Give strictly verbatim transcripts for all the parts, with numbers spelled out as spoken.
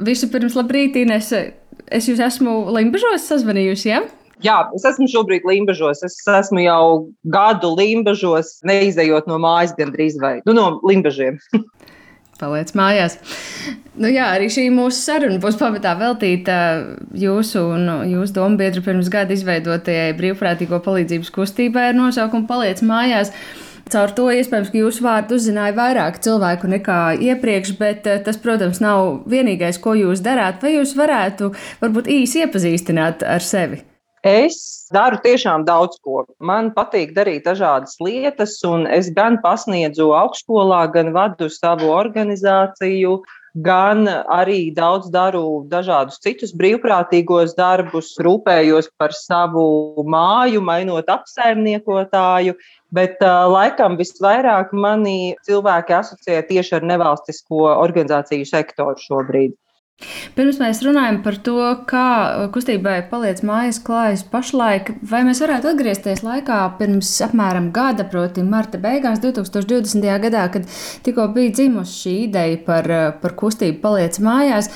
Vispirms, labrīt, Inese. Es jūs esmu Limbažos sazvanījusi, ja? Jā, es esmu šobrīd Limbažos. Es esmu jau gadu Limbažos, neizejot no mājas gandrīz vai nu, no Limbažiem. Paliec mājās. Nu jā, arī šī mūsu saruna būs pamatā veltīta jūsu un jūsu dombiedru pirms gada izveidotajai brīvprātīgo palīdzības kustībai ar nosaukumu Paliec mājās. Caur to iespējams, ka jūsu vārdu uzzināja vairāk cilvēku nekā iepriekš, bet tas, protams, nav vienīgais, ko jūs darāt. Vai jūs varētu varbūt īsi iepazīstināt ar sevi? Es daru tiešām daudz ko. Man patīk darīt dažādas lietas, un es gan pasniedzu augstskolā, gan vadu savu organizāciju, gan arī daudz daru dažādus citus brīvprātīgos darbus, rūpējos par savu māju, mainot apsaimniekotāju, bet uh, laikam visvairāk mani cilvēki asociē tieši ar nevalstisko organizāciju sektoru šobrīd. Pirms mēs runājam par to, kā kustībai Paliec mājās klājas pašlaik, vai mēs varētu atgriezties laikā pirms apmēram gada, proti marta beigās divs tūkstoši divdesmitajā gadā, kad tikko bija dzimusi šī ideja par, par kustību Paliec mājās.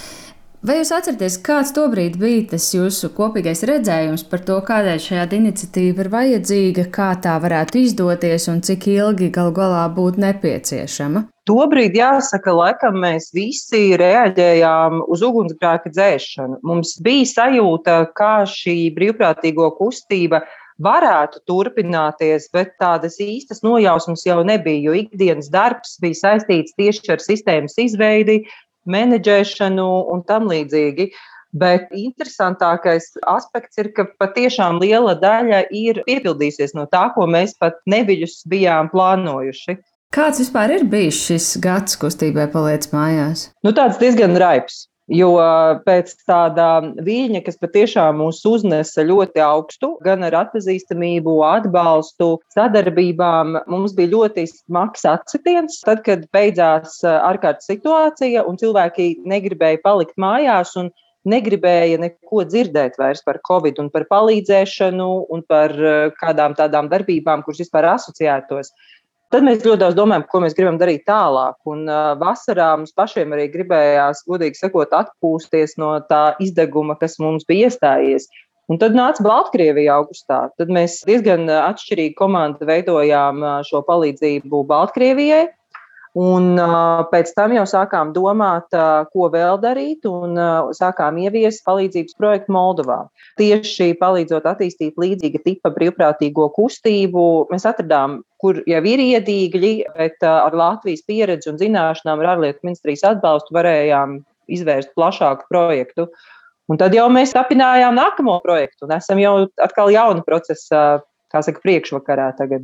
Vai jūs atceraties, kāds tobrīd bija tas jūsu kopīgais redzējums par to, kādēļ šāda iniciatīva ir vajadzīga, kā tā varētu izdoties un cik ilgi galu galā būtu nepieciešama? Tobrīd, jāsaka, laikam mēs visi reaģējām uz ugunsgrēka dzēšanu. Mums bija sajūta, kā šī brīvprātīgo kustība varētu turpināties, bet tādas īstas nojausmas jau nebija, jo ikdienas darbs bija saistīts tieši ar sistēmas izveidi, menedžēšanu un tam līdzīgi. Bet interesantākais aspekts ir, ka patiešām liela daļa ir piepildījusies no tā, ko mēs pat neviļus bijām plānojuši. Kāds vispār ir bijis šis gads kustībai Paliec mājās? Nu, tāds diezgan raips. Jo pēc tāda viļņa, kas patiešām mūs uznesa ļoti augstu, gan ar atpazīstamību, atbalstu, sadarbībām, mums bija ļoti smags atsitiens. Tad, kad beidzās ārkārtas situācija un cilvēki negribēja palikt mājās un negribēja neko dzirdēt vairs par Covid un par palīdzēšanu un par kādām tādām darbībām, kuras vispār asociētos. Tad mēs ļoti daudz domājam, ko mēs gribam darīt tālāk. Un uh, vasarā mums pašiem arī gribējās, godīgi sakot, atpūsties no tā izdeguma, kas mums bija iestājies. Un tad nāca Baltkrievija augustā. Tad mēs diezgan atšķirīgi komandu veidojām šo palīdzību Baltkrievijai. Un uh, pēc tam jau sākām domāt, uh, ko vēl darīt, un uh, sākām ieviest palīdzības projektu Moldovā. Tieši palīdzot attīstīt līdzīga tipa brīvprātīgo kustību, mēs atradām, kur jau ir iedīgļi, bet uh, ar Latvijas pieredzi un zināšanām ar ārlietu ministrijas atbalstu varējām izvērst plašāku projektu. Un tad jau mēs tapinājām nākamo projektu un esam jau atkal jauna procesa, kā saka, priekšvakarā tagad.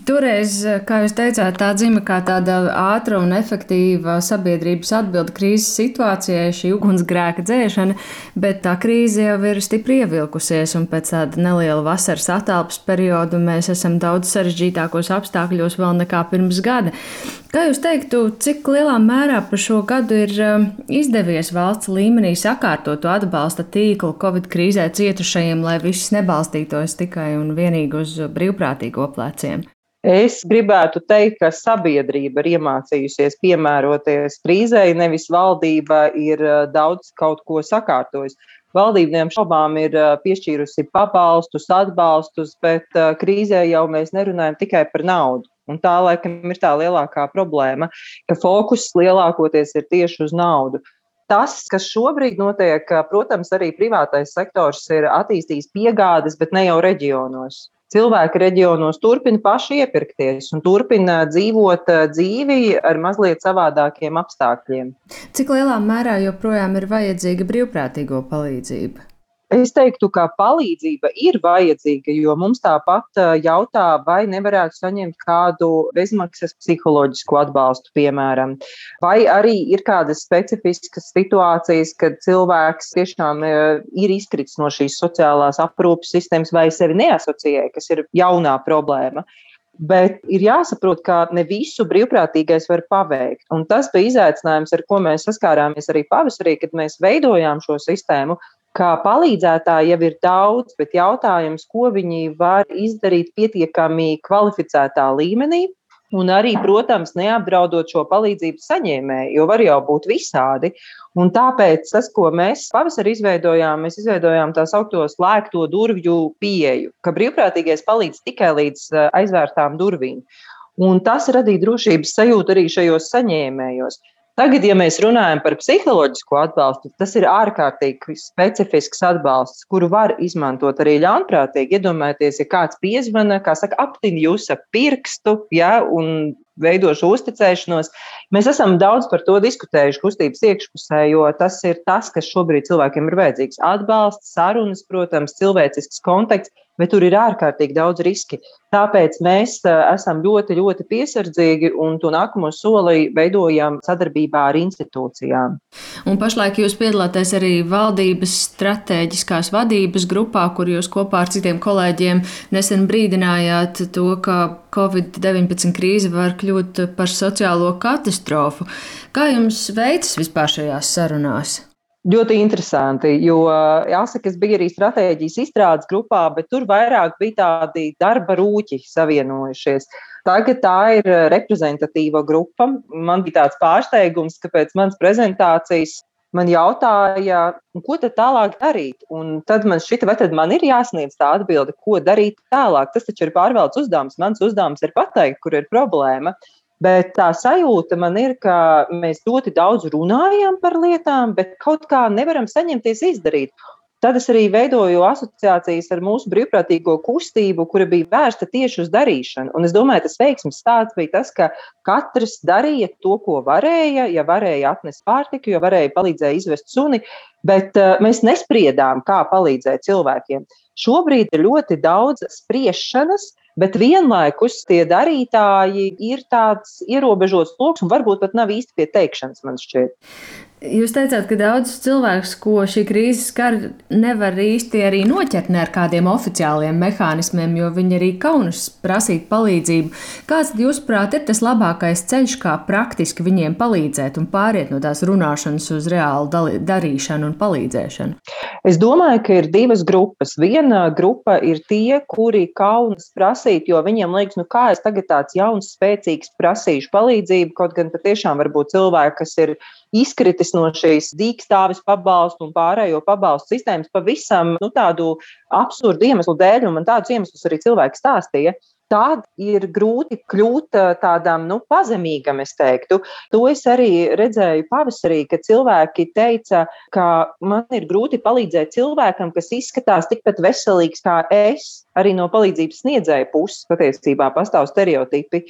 Toreiz, kā jūs teicāt, tā dzima kā tāda ātra un efektīva sabiedrības atbilde krīzes situācijai, šī ugunsgrēka dzēšana, bet tā krīze jau ir stipri ievilkusies, un pēc tāda neliela vasaras attālpas perioda mēs esam daudz sarežģītākos apstākļos vēl nekā pirms gada. Kā jūs teiktu, cik lielā mērā par šo gadu ir izdevies valsts līmenī sakārtot to atbalsta tīklu Covid krīzē cietušajiem, lai viss nebalstītos tikai un vienīgi uz brīvprātīgo pleciem? Es gribētu teikt, ka sabiedrība ir iemācījusies piemēroties krīzei, nevis valdība ir daudz kaut ko sakārtojusi. Valdība neapšaubām ir piešķīrusi pabalstus, atbalstus, bet krīzē jau mēs nerunājam tikai par naudu. Un tā, laikam, ir tā lielākā problēma, ka fokus lielākoties ir tieši uz naudu. Tas, kas šobrīd notiek, protams, arī privātais sektors ir attīstījis piegādes, bet ne jau reģionos. Cilvēki reģionos turpina paši iepirkties un turpina dzīvot dzīvi ar mazliet savādākiem apstākļiem. Cik lielā mērā joprojām ir vajadzīga brīvprātīgo palīdzība? Es teiktu, ka palīdzība ir vajadzīga, jo mums tāpat jautā, vai nevarētu saņemt kādu bezmaksas psiholoģisku atbalstu, piemēram. Vai arī ir kādas specifiskas situācijas, kad cilvēks tiešām ir izkritis no šīs sociālās aprūpes sistēmas vai sevi neasociē, kas ir jaunā problēma. Bet ir jāsaprot, ka ne visu brīvprātīgais var paveikt. Un tas bija izaicinājums, ar ko mēs saskārāmies arī pavasarī, kad mēs veidojām šo sistēmu. Kā palīdzētāji jau ir daudz, bet jautājums, ko viņi var izdarīt pietiekami kvalificētā līmenī, Un arī, protams, neapdraudot šo palīdzību saņēmēju, jo var jau būt visādi. Un tāpēc tas, ko mēs pavasarī izveidojām, mēs izveidojām tā saukto slēgto durvju pieeju, ka brīvprātīgais palīdz tikai līdz aizvērtām durvīm. Un tas radīja drošības sajūtu arī šajos saņēmējos. Tagad, ja mēs runājam par psiholoģisko atbalstu, tas ir ārkārtīgi specifisks atbalsts, kuru var izmantot arī ļaunprātīgi. Iedomājieties, ja kāds piezvana, kā saka, aptin jūs ar pirkstu, ja, un veidošu uzticēšanos. Mēs esam daudz par to diskutējuši kustības iekšpusē, jo tas ir tas, kas šobrīd cilvēkiem ir vajadzīgs. Atbalsts, sarunas, protams, cilvēcisks konteksts, bet tur ir ārkārtīgi daudz riski. Tāpēc mēs esam ļoti, ļoti piesardzīgi un to nākamo soli veidojam sadarbībā ar institūcijām. Un pašlaik jūs piedalāties arī valdības stratēģiskās vadības grupā, kur jūs kopā ar citiem kolēģiem nesen brīdinājāt to, ka covid deviņpadsmit krīze var kļūt par sociālo katastrofu. Kā jums veicas vispār šajās sarunās? Ļoti interesanti, jo jāsaka, es biju arī stratēģijas izstrādes grupā, bet tur vairāk bija tādi darba rūķi savienojušies. Tagad tā ir reprezentatīva grupa. Man bija tāds pārsteigums, ka pēc manas prezentācijas man jautāja, ko tad tālāk darīt? Un tad man šķita, vai tad man ir jāsniedz tā atbilde, ko darīt tālāk. Tas taču ir pārvaldes uzdevums. Mans uzdevums ir pateikt, kur ir problēma. Bet tā sajūta man ir, ka mēs ļoti daudz runājam par lietām, bet kaut kā nevaram saņemties izdarīt. Tad es arī veidoju asociācijas ar mūsu brīvprātīgo kustību, kura bija vērsta tieši uz darīšanu. Un es domāju, tas veiksmes stāsts bija tas, ka katrs darīja to, ko varēja, ja varēja atnest pārtiku, jo varēja palīdzēja izvest suni, bet uh, mēs nespriedām, kā palīdzēt cilvēkiem. Šobrīd ir ļoti daudz spriešanas, bet vienlaikus tie darītāji ir tāds ierobežots loks un varbūt pat nav īsti pie teikšanas, man šķiet. Jūs teicāt, ka daudzus cilvēkus, ko šī krīze skar, nevar īsti arī noķert ne ar kādiem oficiāliem mehānismiem, jo viņi arī kaunas prasīt palīdzību. Kāds, jūsuprāt, ir tas labākais ceļš, kā praktiski viņiem palīdzēt un pāriet no tās runāšanas uz reālu darīšanu un palīdzēšanu? Es domāju, ka ir divas grupas. Viena grupa ir tie, kuri kaunas prasīt, jo viņiem liekas, nu kā es tagad tāds jauns, spēcīgs prasīšu palīdzību, kaut gan patiešām varbūt cilvēki, kas ir izkritis no šīs dīkstāves pabalstu un pārējo pabalstu sistēmas pavisam nu, tādu absurdu iemeslu dēļ, un man tādus iemeslus arī cilvēki stāstīja. Tad ir grūti kļūt tādam nu, pazemīgam, es teiktu. To es arī redzēju pavasarī, kad cilvēki teica, ka man ir grūti palīdzēt cilvēkam, kas izskatās tikpat veselīgs kā es. Arī no palīdzības sniedzēja puses patiesībā pastāv stereotipi.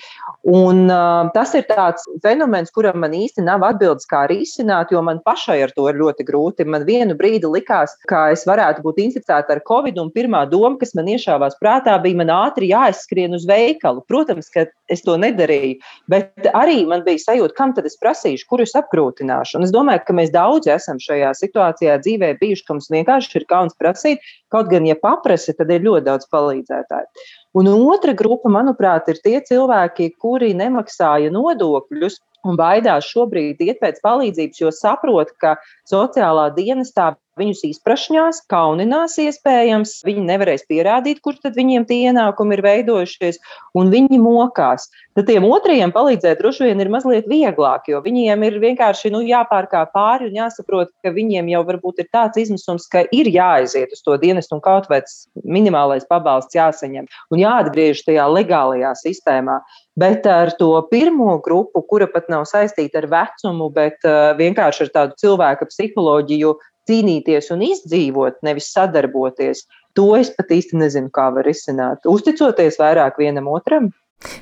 Un uh, tas ir tāds fenomens, kuram man īsti nav atbildes, kā risināt, jo man pašai ar to ir ļoti grūti. Man vienu brīdi likās, ka es varētu būt inficēta ar covid, un pirmā doma, kas man iešāvās prātā, bija man ātri jāizskrien uz veikalu. Protams, ka es to nedarīju, bet arī man bija sajūta, kam tad es prasīšu, kur es apgrūtināšu. Un es domāju, ka mēs daudzi esam šajā situācijā dzīvē bijuši, ka mums vienkārši ir kauns prasīt, kaut gan, ja paprasa, tad ir ļoti daudz palīdzētāji. Un otra grupa, manuprāt, ir tie cilvēki, kuri nemaksāja nodokļus un baidās šobrīd iet pēc palīdzības, jo saprot, ka sociālā dienestā viņus izprašņās, kauninās iespējams, viņi nevarēs pierādīt, kur tad viņiem tie ienākumi ir veidojušies, un viņi mokās. Tad tiem otrajiem palīdzēt droši vien ir mazliet vieglāk, jo viņiem ir vienkārši nu, jāpārkā pāri un jāsaprot, ka viņiem jau varbūt ir tāds izmisums, ka ir jāaiziet uz to dienestu un kaut vai minimālais pabalsts jāsaņem un jāatgriež tajā legālajā sistēmā. Bet ar to pirmo grupu, kura pat nav saistīta ar vecumu, bet uh, vienkārši ar tādu cilvēka psiholoģiju, cīnīties un izdzīvot, nevis sadarboties, to es pat īsti nezinu, kā var risināt. Uzticoties vairāk vienam otram.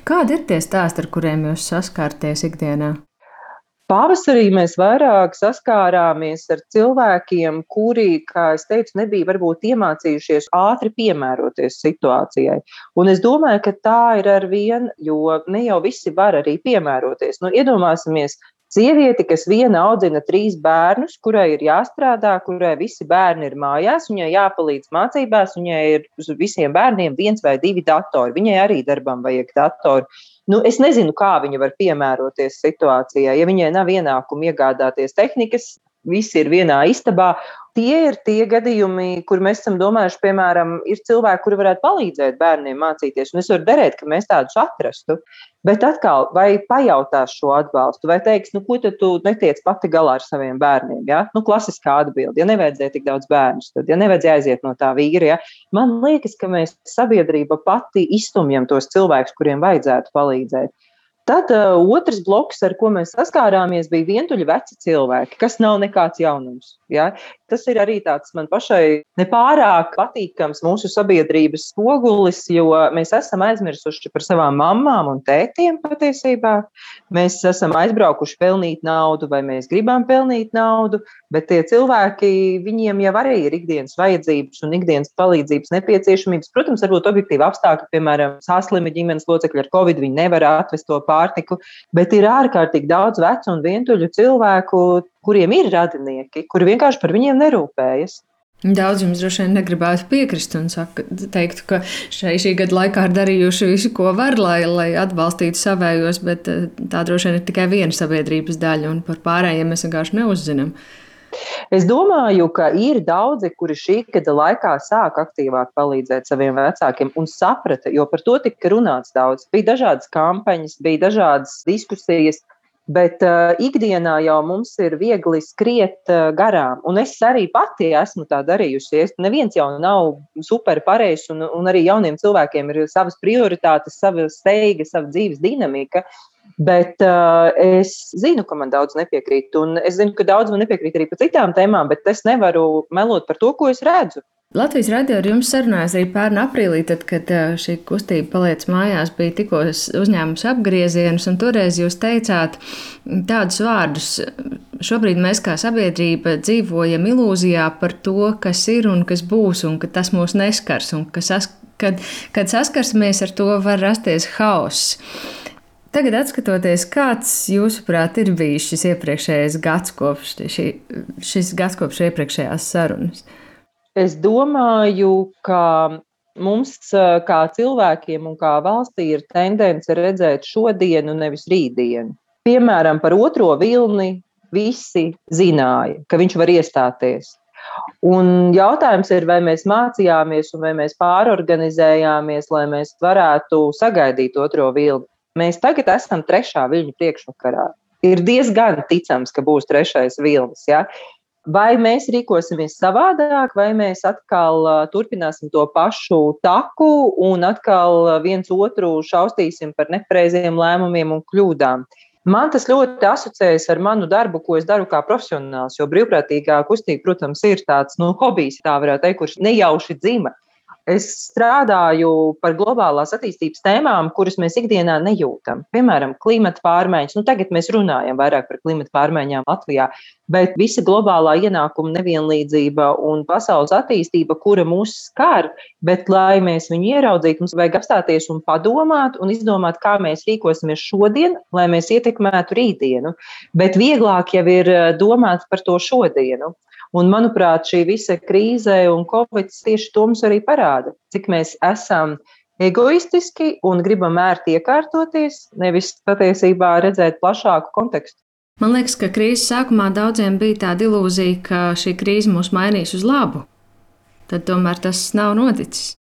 Kādi ir tie stāsti, ar kuriem jūs saskārties ikdienā? Pavasarī mēs vairāk saskārāmies ar cilvēkiem, kuri, kā es teicu, nebija varbūt iemācījušies ātri piemēroties situācijai. Un es domāju, ka tā ir ar vien, jo ne jau visi var arī piemēroties. Nu, iedomāsimies, sievieti, kas viena audzina trīs bērnus, kurai ir jāstrādā, kurai visi bērni ir mājās, viņai jāpalīdz mācībās, viņai ir uz visiem bērniem viens vai divi datori, viņai arī darbam vajag datori. Nu, es nezinu, kā viņa var piemēroties situācijai, ja viņai nav ienākumu iegādāties tehnikas, visi ir vienā istabā, Tie ir tie gadījumi, kur mēs esam domājuši, piemēram, ir cilvēki, kuri varētu palīdzēt bērniem mācīties, un es varu derēt, ka mēs tādus atrastu. Bet atkal, vai pajautās šo atbalstu, vai teiks, nu, ko tad tu netiec pati galā ar saviem bērniem, ja? Nu, klasiskā atbilde, ja nevajadzēja tik daudz bērnus, tad, ja nevajadzēja aiziet no tā vīra, ja? Man liekas, ka mēs sabiedrība pati izstumjam tos cilvēkus, kuriem vajadzētu palīdzēt. Tad uh, otrs bloks, ar ko mēs saskārāmies, bija vientuļi veci cilvēki, kas nav nekāds jaunums. Ja? Tas ir arī tāds man pašai nepārāk patīkams mūsu sabiedrības spogulis, jo mēs esam aizmirsuši par savām mammām un tētiem patiesībā. Mēs esam aizbraukuši pelnīt naudu vai mēs gribam pelnīt naudu, bet tie cilvēki, viņiem jau arī ir ikdienas vajadzības un ikdienas palīdzības nepieciešamības. Protams, varbūt objektīvi apstākļi, piemēram, sāslimi ģimenes locekļi ar covid, viņi nevar atvest to pārtiku, bet ir ārkārtīgi daudz vecu un vientuļu cilvēku, kuriem ir radinieki, kuri vienkārši par viņiem nerūpējas. Daudz jums droši vien negribētu piekrist un saka, teiktu, ka šai šī gada laikā ir darījuši visu, ko var, lai, lai atbalstītu savējos, bet tā droši vien ir tikai viena sabiedrības daļa un par pārējiem mēs vienkārši neuzzinām. Es domāju, ka ir daudzi, kuri šī gada laikā sāk aktīvāk palīdzēt saviem vecākiem un saprata, jo par to tika runāts daudz. Bija dažādas kampaņas, bija dažādas diskusijas, bet uh, ikdienā jau mums ir viegli skriet uh, garām. Un es arī pati esmu tā darījusi. Es, neviens jau nav super pareizs, un, un arī jauniem cilvēkiem ir savas prioritātes, sava steiga, sava dzīves dinamika. Bet uh, es zinu, ka man daudz nepiekrīt, un es zinu, ka daudz man nepiekrīt arī par citām tēmām, bet es nevaru melot par to, ko es redzu. Latvijas radio ar jums sarunājās arī pērn aprīlī, tad, kad šī kustība Paliec mājās bija tikko uzņēmusi apgriezienus, un toreiz jūs teicāt tādus vārdus. Šobrīd mēs kā sabiedrība dzīvojam ilūzijā par to, kas ir un kas būs, un ka tas mūs neskars, un ka sas, kad, kad saskarsimies ar to, var rasties hauss. Tagad, atskatoties, kāds, jūsuprāt, ir bijis šis iepriekšējais gads kopš, šī, šis gads kopš iepriekšējās sarunas? Es domāju, ka mums kā cilvēkiem un kā valstī ir tendence redzēt šodienu, nevis rītdienu. Piemēram, par otro vilni visi zināja, ka viņš var iestāties. Un jautājums ir, vai mēs mācījāmies un vai mēs pārorganizējāmies, lai mēs varētu sagaidīt otro vilni. Mēs tagad esam trešā viļņa priekšvakarā. Ir diezgan ticams, ka būs trešais vilnis, ja? Vai mēs rīkosimies savādāk, vai mēs atkal uh, turpināsim to pašu taku un atkal viens otru šaustīsim par nepareiziem lēmumiem un kļūdām. Man tas ļoti asociējas ar manu darbu, ko es daru kā profesionāls, jo brīvprātīgā kustība, protams, ir tāds nu, hobijs, tā varētu teikt, kurš nejauši dzima. Es strādāju par globālās attīstības tēmām, kuras mēs ikdienā nejūtam. Piemēram, klimata pārmaiņas. Nu, tagad mēs runājam vairāk par klimata pārmaiņām Latvijā, bet visa globālā ienākuma nevienlīdzība un pasaules attīstība, kura mūs skar, bet lai mēs viņu ieraudzītu, mums vajag apstāties un padomāt un izdomāt, kā mēs rīkosimies šodien, lai mēs ietekmētu rītdienu. Bet vieglāk jau ir domāt par to šodienu. Un, manuprāt, šī visa krīze un covid tieši to mums arī parāda, cik mēs esam egoistiski un gribam ērti iekārtoties, nevis patiesībā redzēt plašāku kontekstu. Man liekas, ka krīzes sākumā daudziem bija tāda ilūzija, ka šī krīze mūs mainīs uz labu. Tad tomēr tas nav noticis.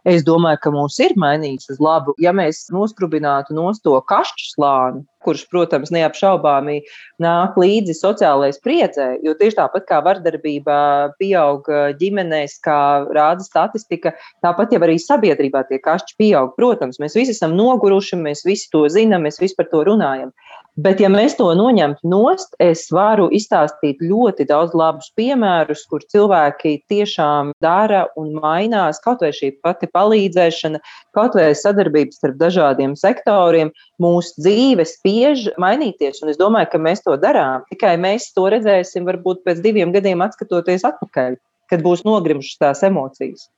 Es domāju, ka mums ir mainījis uz labu, ja mēs nostrubinātu nost to kašķu slāni, kurš, protams, neapšaubāmi nāk līdzi sociālajai spriedzē, jo tieši tāpat kā vardarbība pieaug ģimenēs, kā rāda statistika, tāpat jau arī sabiedrībā tie kašķi pieaug. Protams, mēs visi esam noguruši, mēs visi to zinām, mēs visi par to runājam. Bet, ja mēs to noņemtu nost, es varu izstāstīt ļoti daudz labus piemērus, kur cilvēki tiešām dara un mainās, kaut vai šī pati palīdzēšana, kaut vai sadarbības starp dažādiem sektoriem, mūsu dzīve spiež mainīties, un es domāju, ka mēs to darām. Tikai mēs to redzēsim varbūt pēc diviem gadiem atskatoties atpakaļ, kad būs nogrimušas tās emocijas.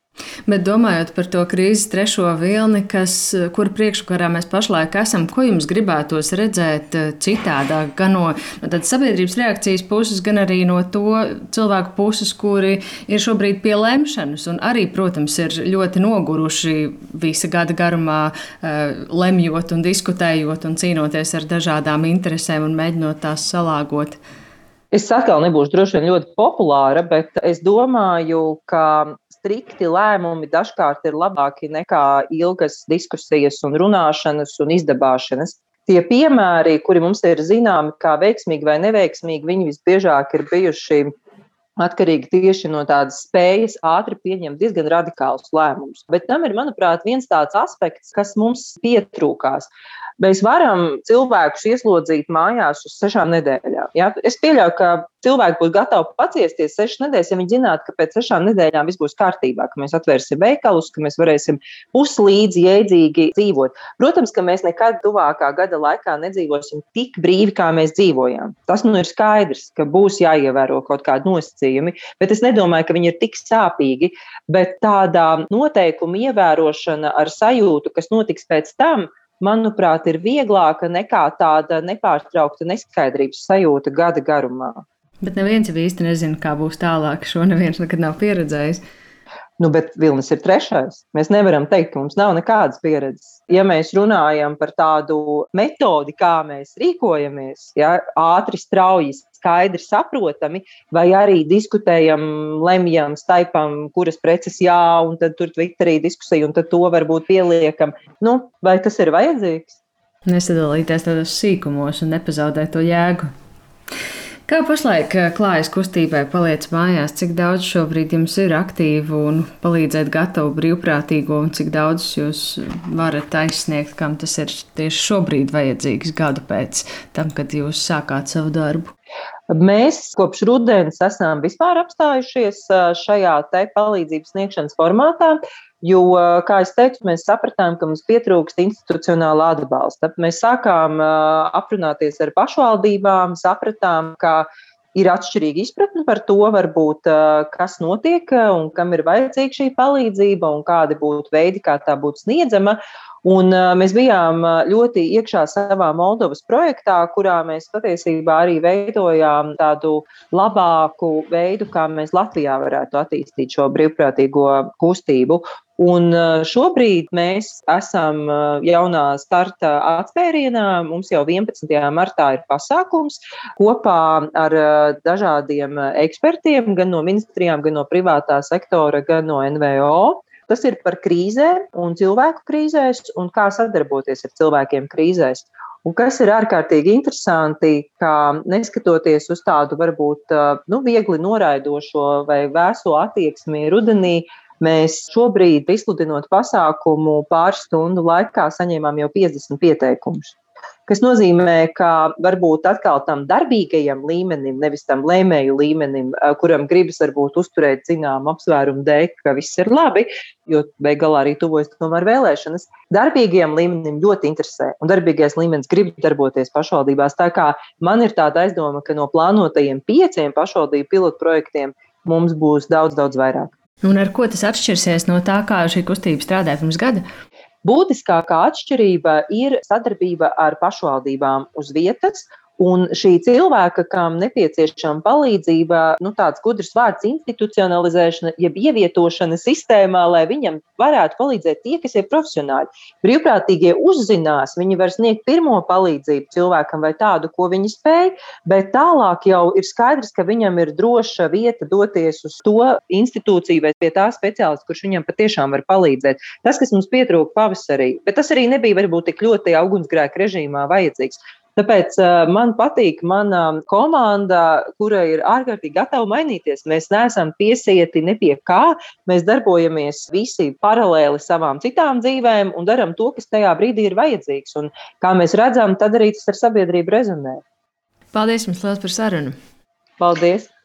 Bet domājot par to krīzes trešo vilni, kas, kura priekškarā mēs pašlaik esam, ko jums gribētos redzēt citādāk, gan no, no sabiedrības reakcijas puses, gan arī no to cilvēku puses, kuri ir šobrīd pie lemšanas un arī, protams, ir ļoti noguruši visa gada garumā, lemjot un diskutējot un cīnoties ar dažādām interesēm un mēģinot tās salāgot? Es atkal nebūšu droši vien ļoti populāra, bet es domāju, ka strikti lēmumi dažkārt ir labāki nekā ilgas diskusijas un runāšanas un izdabāšanas. Tie piemēri, kuri mums ir zināmi kā veiksmīgi vai neveiksmīgi, viņi visbiežāk ir bijuši atkarīgi tieši no tādas spējas ātri pieņemt diezgan radikālus lēmumus. Bet tam ir, manuprāt, viens tāds aspekts, kas mums pietrūkās. Mēs varam cilvēkus ieslodzīt mājās uz sešām nedēļām. Ja? Es pieļauju, ka cilvēki būs gatavi paciesties sešas nedēļas, ja viņi zinātu, ka pēc sešām nedēļām viss būs kārtībā, ka mēs atvērsim veikalus, ka mēs varēsim puslīdzi jēdzīgi dzīvot. Protams, ka mēs nekad tuvākā gada laikā nedzīvosim tik brīvi, kā mēs dzīvojām. Tas nu ir skaidrs, ka būs jāievēro kaut kādi nosacījumi, bet es nedomāju, ka viņi ir tik sāpīgi, bet tāda noteikuma ievērošana ar sajūtu, kas notiks pēc tam, manuprāt, ir vieglāka nekā tāda nepārtraukta neskaidrības sajūta gada garumā. Bet neviens jau īsti nezina, kā būs tālāk. Šo neviens nekad nav pieredzējis. Nu, bet Vilnis ir trešais. Mēs nevaram teikt, ka mums nav nekādas pieredzes. Ja mēs runājam par tādu metodi, kā mēs rīkojamies, ja, ātri, strauji, skaidri, saprotami, vai arī diskutējam, lemjam, staipam, kuras preces jā, un tad tur Twitterī diskusija, un tad to varbūt pieliekam. Nu, vai tas ir vajadzīgs? Nesadalīties tādos sīkumos un nepazaudēt to jēgu. Kā pašlaik klājas kustībai Paliec mājās? Cik daudz šobrīd jums ir aktīvu un palīdzēt gatavu brīvprātīgo, un cik daudz jūs varat aizsniegt, kam tas ir tieši šobrīd vajadzīgs gadu pēc tam, kad jūs sākāt savu darbu? Mēs kopš rudens esam vispār apstājušies šajā te palīdzības sniegšanas formātā, jo, kā es teicu, mēs sapratām, ka mums pietrūkst institucionāla atbalsta. Mēs sākām aprunāties ar pašvaldībām, sapratām, ka ir atšķirīga izpratne par to, varbūt, kas notiek un kam ir vajadzīga šī palīdzība un kādi būtu veidi, kā tā būtu sniedzama. Un mēs bijām ļoti iekšā savā Moldovas projektā, kurā mēs patiesībā arī veidojām tādu labāku veidu, kā mēs Latvijā varētu attīstīt šo brīvprātīgo kustību. Un šobrīd mēs esam jaunā starta atspērienā. Mums jau vienpadsmitajā martā ir pasākums kopā ar dažādiem ekspertiem, gan no ministrijām, gan no privātā sektora, gan no N V O. Tas ir par krīzēm un cilvēku krīzēs un kā sadarboties ar cilvēkiem krīzēs. Un kas ir ārkārtīgi interesanti, ka neskatoties uz tādu varbūt nu, viegli noraidošo vai vēso attieksmi rudenī, mēs šobrīd, izsludinot pasākumu, pāris stundu laikā saņēmām jau piecdesmit pieteikumus. Kas nozīmē, ka varbūt atkal tam darbīgajam līmenim, nevis tam lēmēju līmenim, kuram gribas varbūt uzturēt zināmu apsvērumu dēļ, ka viss ir labi, jo beig galā arī tuvojas tomēr vēlēšanas, darbīgajam līmenim ļoti interesē, un darbīgais līmenis grib darboties pašvaldībās. Tā kā man ir tāda aizdoma, ka no plānotajiem pieciem pašvaldību pilotprojektiem mums būs daudz, daudz vairāk. Un ar ko tas atšķirsies no tā, kā šī kustība strādāja pirms gada? Būtiskākā atšķirība ir sadarbība ar pašvaldībām uz vietas. Un šī cilvēka, kam nepieciešama palīdzība, nu tāds gudrs vārds institucionalizēšana, jeb ievietošana sistēmā, lai viņam varētu palīdzēt tie, kas ir profesionāļi. Brīvprātīgie uzzinās, viņi var sniegt pirmo palīdzību cilvēkam vai tādu, ko viņi spēj, bet tālāk jau ir skaidrs, ka viņam ir droša vieta doties uz to institūciju vai pie tā speciālista, kurš viņam patiešām var palīdzēt. Tas, kas mums pietrūka pavasarī, bet tas arī nebija varbūt tik ļoti ugunsgrēka režīmā vajadzīgs. Tāpēc man patīk mana komanda, kura ir ārkārtīgi gatava mainīties. Mēs neesam piesieti ne pie kā, mēs darbojamies visi paralēli savām citām dzīvēm un daram to, kas tajā brīdī ir vajadzīgs. Un kā mēs redzam, tad arī tas ar sabiedrību rezonē. Paldies jums liels par sarunu. Paldies!